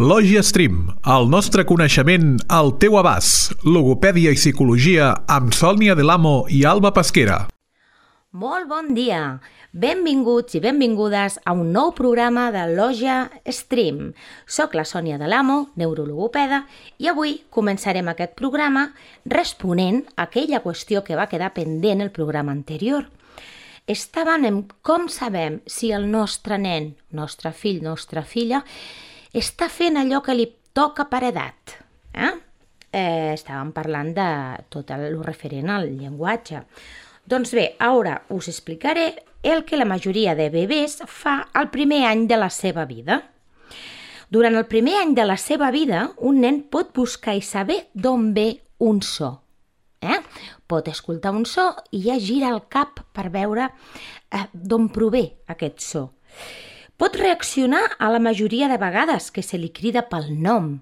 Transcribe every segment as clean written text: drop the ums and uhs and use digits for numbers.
Lògia Stream, el nostre coneixement al teu abast. Logopèdia i psicologia amb Sònia Delamo i Alba Pesquera. Molt bon dia! Benvinguts i benvingudes a un nou programa de Lògia Stream. Soc la Sònia Delamo, neurologopeda, i avui començarem aquest programa responent a aquella qüestió que va quedar pendent el programa anterior. Estàvem en com sabem si el nostre nen, nostre fill, nostra filla, està fent allò que li toca per edat. Estàvem parlant de tot el referent al llenguatge. Doncs bé, ara us explicaré el que la majoria de bebès fa al primer any de la seva vida. Durant el primer any de la seva vida, un nen pot buscar i saber d'on ve un so. Pot escoltar un so i ja gira el cap per veure d'on prové aquest so. Pot reaccionar a la majoria de vegades que se li crida pel nom.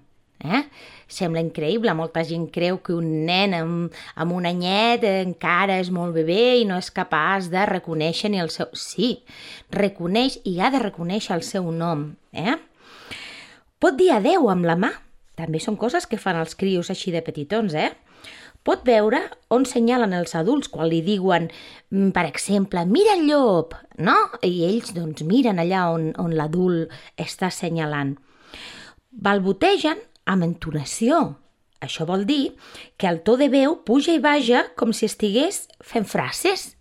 Sembla increïble, molta gent creu que un nen amb un anyet encara és molt bebè i no és capaç de reconèixer ni el seu... Sí, reconeix i ha de reconèixer el seu nom. Pot dir adeu amb la mà. També són coses que fan els crios així de petitons, Pot veure on senyalen els adults quan li diuen, per exemple, mira el llop, no? I ells doncs miren allà on l'adult està senyalant. Balbotegen amb entonació. Això vol dir que el to de veu puja i baja com si estigués fent frases.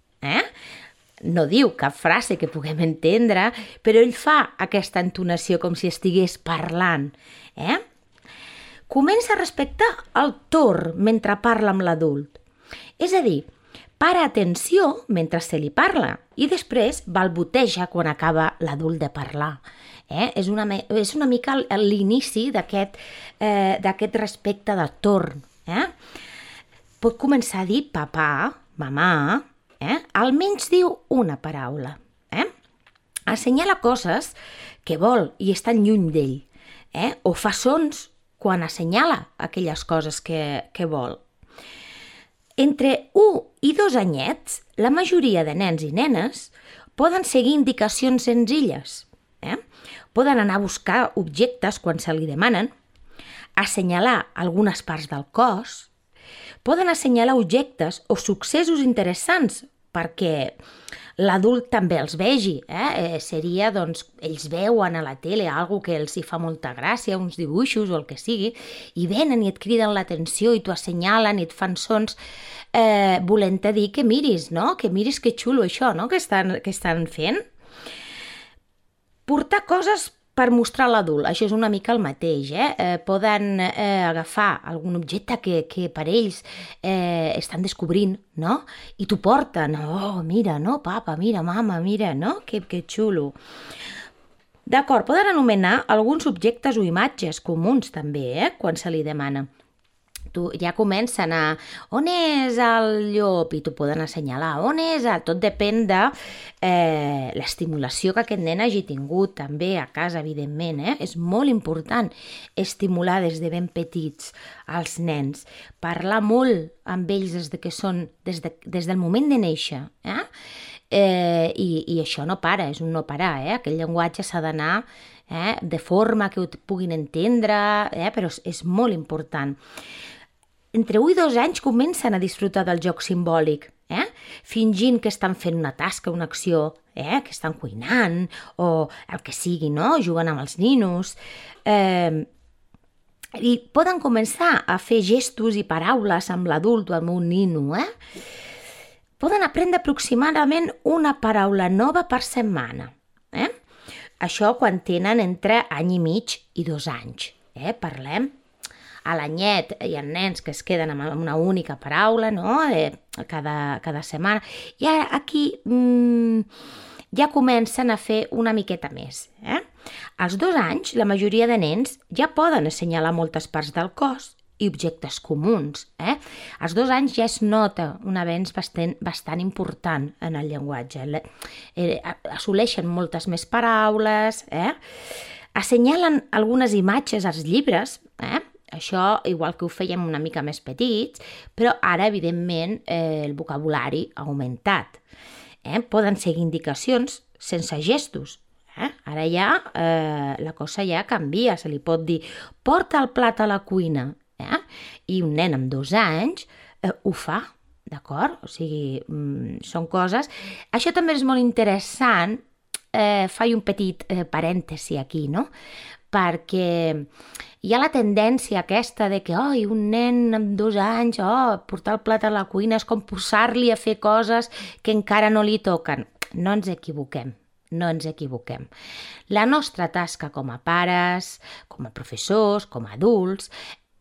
No diu cap frase que puguem entendre, però ell fa aquesta entonació com si estigués parlant. Comença a respectar el torn mentre parla amb l'adult. És a dir, para atenció mentre se li parla i després balboteja quan acaba l'adult de parlar. És una mica l'inici d'aquest respecte de torn. Pot començar a dir papà, mamà, almenys diu una paraula. Assenyala coses que vol i estan lluny d'ell, o fa sons quan assenyala aquelles coses que vol. Entre 1 i 2 anyets, la majoria de nens i nenes poden seguir indicacions senzilles. Poden anar a buscar objectes quan se li demanen, assenyalar algunes parts del cos, poden assenyalar objectes o successos interessants perquè l'adult també els vegi. Seria, doncs, ells veuen a la tele alguna que els hi fa molta gràcia, uns dibuixos o el que sigui, i venen i et criden l'atenció i t'ho assenyalen i et fan sons volent-te dir que miris, no? Que miris que xulo això, no? Que estan fent. Portar coses per mostrar a l'adult, això és una mica el mateix. Poden agafar algun objecte que per ells estan descobrint, no? I t'ho porten. Oh, mira, no, papa, mira, mama, mira, no? Que xulo. D'acord, poden anomenar alguns objectes o imatges comuns també, quan se li demana. Ja comencen a... On és el llop? I t'ho poden assenyalar. On és? Tot depèn de l'estimulació que aquest nen hagi tingut també a casa, evidentment. És molt important estimular des de ben petits als nens. Parlar molt amb ells des del moment de néixer. I això no para, és un no parar. Aquell llenguatge s'ha d'anar de forma que ho puguin entendre, però és molt important. Entre 1 i 2 anys comencen a disfrutar del joc simbòlic, fingint que estan fent una tasca, una acció, que estan cuinant o el que sigui, no? Jugant amb els ninos. I poden començar a fer gestos i paraules amb l'adult o amb un nino. Poden aprendre aproximadament una paraula nova per setmana. Això quan tenen entre any i mig i 2 anys. Parlem. A l'anyet hi ha nens que es queden amb una única paraula, no? Cada setmana. I aquí ja comencen a fer una miqueta més. Als 2 anys, la majoria de nens ja poden assenyalar moltes parts del cos i objectes comuns. Als 2 anys ja es nota un avenç bastant important en el llenguatge. Assoleixen moltes més paraules, assenyalen algunes imatges als llibres, això igual que ho fèiem una mica més petits, però ara, evidentment, el vocabulari ha augmentat. Poden seguir indicacions sense gestos, Ara ja la cosa ja canvia, se li pot dir porta el plat a la cuina, i un nen amb 2 anys ho fa, d'acord? O sigui, són coses... Això també és molt interessant, faig un petit parèntesi aquí, no? Perquè hi ha la tendència aquesta de que un nen amb 2 anys, portar el plat a la cuina és com posar-li a fer coses que encara no li toquen. No ens equivoquem. La nostra tasca com a pares, com a professors, com a adults,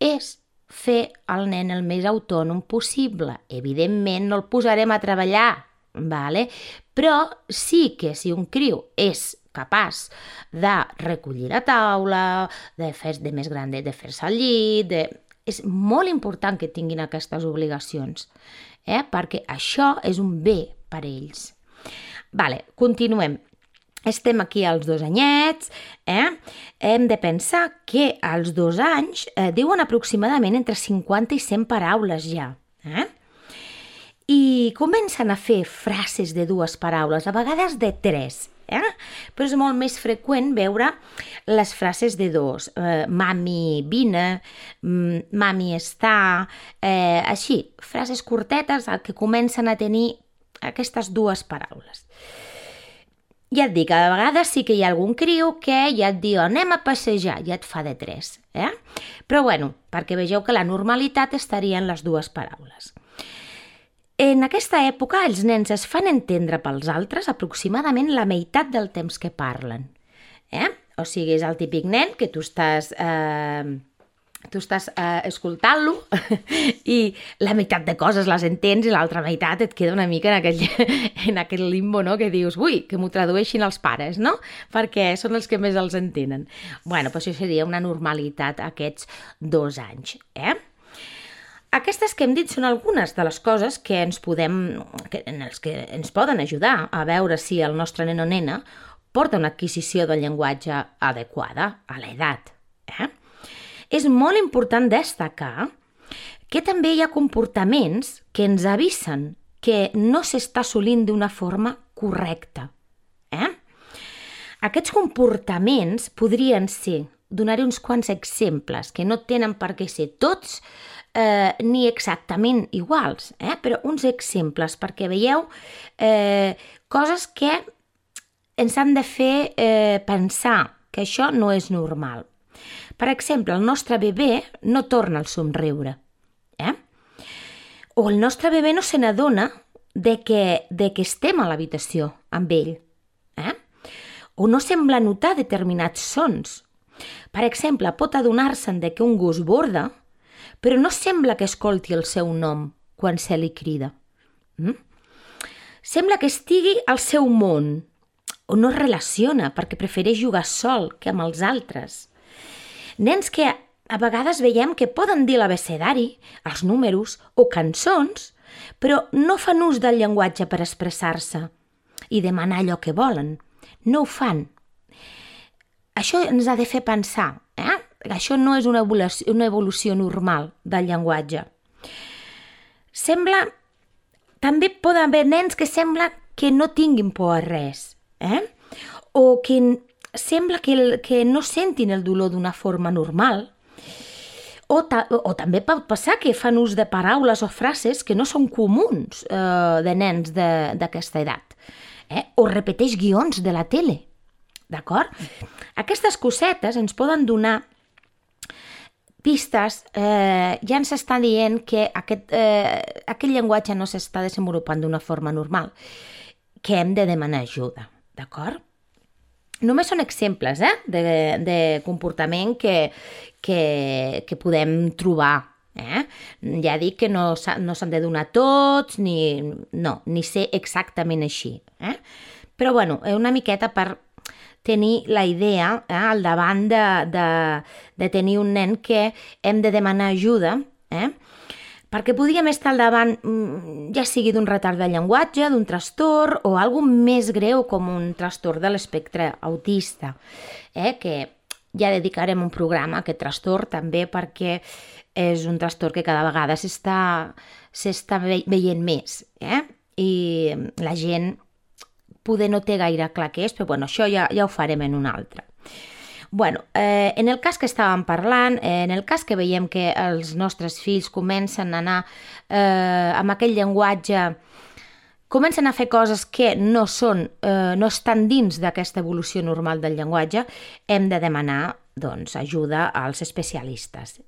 és fer el nen el més autònom possible. Evidentment no el posarem a treballar, vale? Però sí que si un criu és capaç de recollir la taula, de més gran de fer-se al llit, és molt important que tinguin aquestes obligacions, perquè això és un bé per a ells. Vale, continuem. Estem aquí als 2 anyets, hem de pensar que als 2 anys diuen aproximadament entre 50 i 100 paraules ja, i comencen a fer frases de 2 paraules, a vegades de 3, però és molt més freqüent veure les frases de 2, mami vine, mami està, així, frases curtetes que comencen a tenir aquestes 2 paraules. Ja et dic, a vegades sí que hi ha algun criu que ja et diu anem a passejar, ja et fa de 3, Però bueno, perquè vegeu que la normalitat estaria en les 2 paraules. En aquesta època els nens es fan entendre pels altres aproximadament la meitat del temps que parlen, O sigui, és el típic nen que tu estàs escoltant-lo i la meitat de coses les entens i l'altra meitat et queda una mica en aquell limbo, no? Que dius, ui, que m'ho tradueixin els pares, no? Perquè són els que més els entenen. Bueno, doncs això seria una normalitat aquests 2 anys, Aquestes que hem dit són algunes de les coses que ens poden ajudar a veure si el nostre nen o nena porta una adquisició del llenguatge adequada a l'edat, És molt important destacar que també hi ha comportaments que ens avisen que no s'està assolint d'una forma correcta. Aquests comportaments podrien ser, donaré uns quants exemples, que no tenen per què ser tots ni exactament iguals, però uns exemples perquè veieu coses que ens han de fer pensar que això no és normal. Per exemple, el nostre bebè no torna al somriure. O el nostre bebè no se n'adona de que estem a l'habitació amb ell. O no sembla notar determinats sons. Per exemple, pot adonar-se'n de que un gos borda, però no sembla que escolti el seu nom quan se li crida. Sembla que estigui al seu món, o no es relaciona perquè prefereix jugar sol que amb els altres. Nens que a vegades veiem que poden dir l'abecedari, els números o cançons, però no fan ús del llenguatge per expressar-se i demanar allò que volen. No ho fan. Això ens ha de fer pensar, Això no és una evolució normal del llenguatge. També poden haver nens que sembla que no tinguin por a res, o que sembla que no sentin el dolor d'una forma normal, o també pot passar que fan ús de paraules o frases que no són comuns de nens d'aquesta edat, o repeteix guions de la tele, d'acord? Aquestes cosetes ens poden donar pistes, ja ens està dient que aquest llenguatge no s'està desenvolupant d'una forma normal, que hem de demanar ajuda, d'acord? Només són exemples de comportament que podem trobar. Ja dic que no s'han de donar tots, ni ser exactament així. Però bueno, una miqueta per tenir la idea al davant de tenir un nen que hem de demanar ajuda, perquè podríem estar al davant, ja sigui d'un retard de llenguatge, d'un trastorn o alguna més greu com un trastorn de l'espectre autista, que ja dedicarem un programa a aquest trastorn també perquè és un trastorn que cada vegada s'està veient més, i la gent poder no té gaire clar què és, però bueno, això ja ho farem en un altre. Bueno, en el cas que estàvem parlant, en el cas que veiem que els nostres fills comencen a anar amb aquell llenguatge, comencen a fer coses que no estan dins d'aquesta evolució normal del llenguatge, hem de demanar ajuda als especialistes.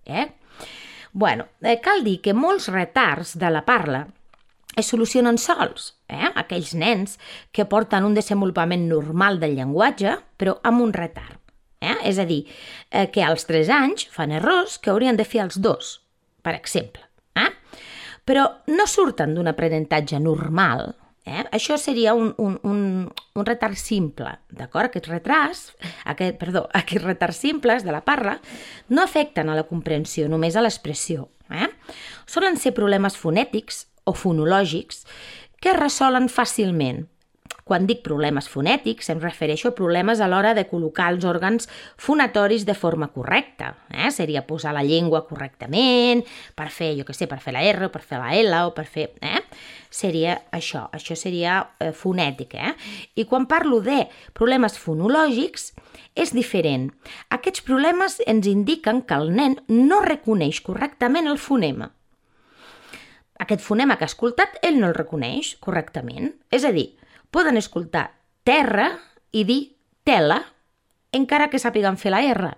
Bueno, cal dir que molts retards de la parla es solucionen sols. Aquells nens que porten un desenvolupament normal del llenguatge, però amb un retard. És a dir, que als 3 anys fan errors que haurien de fer als 2, per exemple. Però no surten d'un aprenentatge normal. Això seria un retard simple, d'acord? Aquests retards simples de la parla no afecten a la comprensió, només a l'expressió. Solen ser problemes fonètics o fonològics que es resolen fàcilment. Quan dic problemes fonètics, em refereixo a problemes a l'hora de col·locar els òrgans fonatoris de forma correcta. Seria posar la llengua correctament, per fer, per fer la R, o per fer la L, o per fer... Seria això seria fonètic. I quan parlo de problemes fonològics, és diferent. Aquests problemes ens indiquen que el nen no reconeix correctament el fonema. Aquest fonema que ha escoltat, ell no el reconeix correctament. És a dir, poden escoltar terra i dir tela, encara que sàpiguen fer la R,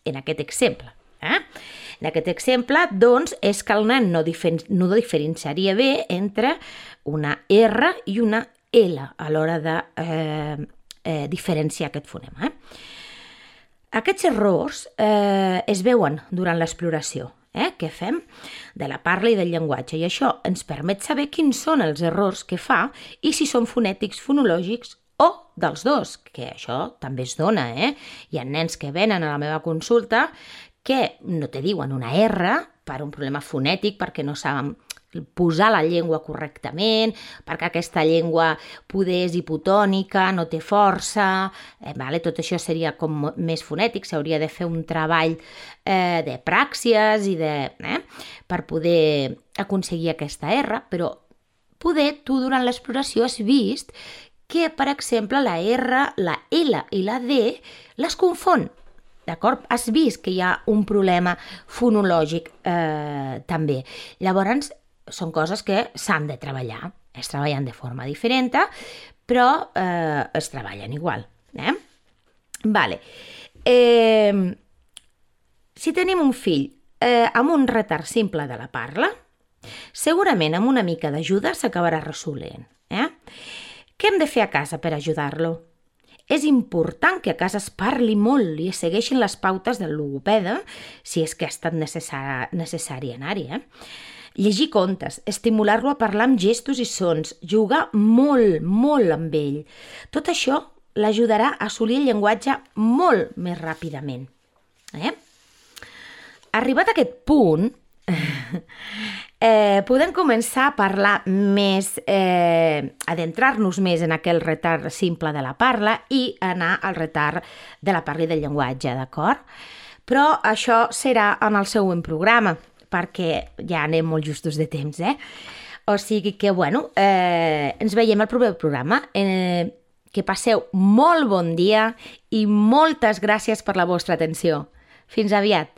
en aquest exemple. En aquest exemple, doncs, és que el nen no diferenciaria bé entre una R i una L a l'hora de diferenciar aquest fonema. Aquests errors es veuen durant l'exploració que fem de la parla i del llenguatge, i això ens permet saber quins són els errors que fa i si són fonètics, fonològics o dels dos, que això també es dona. Hi ha nens que venen a la meva consulta que no te diuen una R per un problema fonètic, perquè no saben posar la llengua correctament, perquè aquesta llengua poder és hipotònica, no té força, tot això seria com més fonètic, s'hauria de fer un treball de pràxies i per poder aconseguir aquesta R, però poder tu durant l'exploració has vist que, per exemple, la R, la L i la D les confon. D'acord? Has vist que hi ha un problema fonològic també. Llavors, són coses que s'han de treballar. Es treballen de forma diferent, però es treballen igual. Vale. Si tenim un fill amb un retard simple de la parla, segurament amb una mica d'ajuda s'acabarà resolent. Què hem de fer a casa per ajudar-lo? És important que a casa es parli molt i es segueixin les pautes del logopeda, si és que ha estat necessari anar-hi. Llegir contes, estimular-lo a parlar amb gestos i sons, jugar molt, molt amb ell. Tot això l'ajudarà a assolir el llenguatge molt més ràpidament. Arribat a aquest punt, podem començar a parlar més, adentrar-nos més en aquell retard simple de la parla i anar al retard de la parla i del llenguatge, d'acord? Però això serà en el següent programa, perquè ja anem molt justos de temps, O sigui que, ens veiem al proper programa. Que passeu molt bon dia i moltes gràcies per la vostra atenció. Fins aviat.